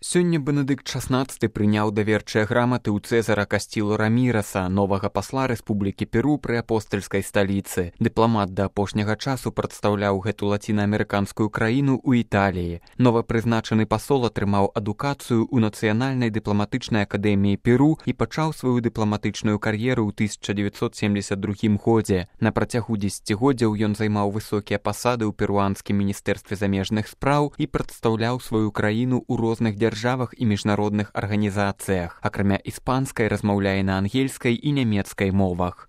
Сёння Бенедыкт XVI прыняў даверчыя граматы ў Цэзара Касцілу Раміраса, новага пасла Рэспублікі Перу пры апостальскай сталіцы. Дыпламат да апошняга часу прадстаўляў гэту лацінаамерыканскую краіну ў Італіі. Новапрызначаны пасол атрымаў адукацыю ў Нацыянальнай дыпламатычнай акадэміі Перу і пачаў сваю дыпламатычную кар'еру ў 1972 годзе. На працягу дзесяцігоддзяў ён займаў высокія пасады ў перуанскім міністэрстве замежных спраў і прадстаўляў сваю краіну ў розных дзяржавах і міжнародных арганізацыях. Акрамя іспанскай размаўляе на ангельскай і нямецкай мовах.